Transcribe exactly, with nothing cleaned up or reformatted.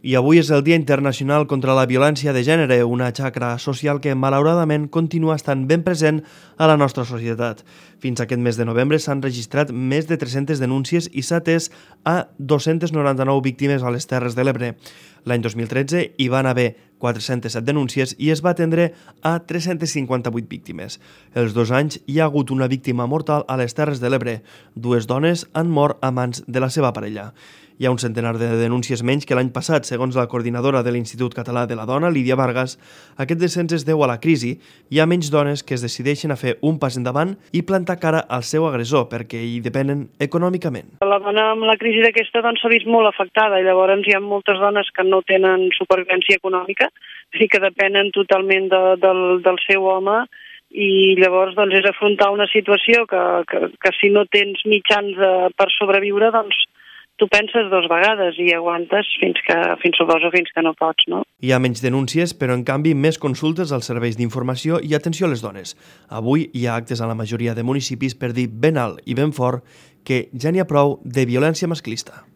I avui és el Dia Internacional contra la Violència de Gènere, una xacra social que malauradament continua estant ben present a la nostra societat. Fins aquest mes de novembre s'han registrat més de tres-centes denúncies i s'ha atès a dos-cents noranta-nou víctimes a les Terres de l'Ebre. L'any dos mil tretze hi van haver quatre-centes set denúncies i es va atendre a tres-centes cinquanta-vuit víctimes. Els dos anys hi ha hagut una víctima mortal a les Terres de l'Ebre. Dues dones han mort a mans de la seva parella. Hi ha un centenar de denúncies menys que l'any passat, segons la coordinadora de l'Institut Català de la Dona, Lídia Vargas. Aquest descens es deu a la crisi. Hi ha menys dones que es decideixen a fer un pas endavant i plantar cara al seu agressor perquè hi depenen econòmicament. La dona amb la crisi d'aquesta doncs, s'ha vist molt afectada i llavors hi ha moltes dones que no tenen supervivència econòmica i que depenen totalment de, del, del seu home i llavors doncs, és afrontar una situació que, que, que si no tens mitjans de, per sobreviure, doncs tu penses dos vegades i aguantes fins que, fins suposo, fins que no pots, no? Hi ha menys denúncies, però en canvi més consultes als serveis d'informació i atenció a les dones. Avui hi ha actes a la majoria de municipis per dir ben alt i ben fort que ja n'hi ha prou de violència masclista.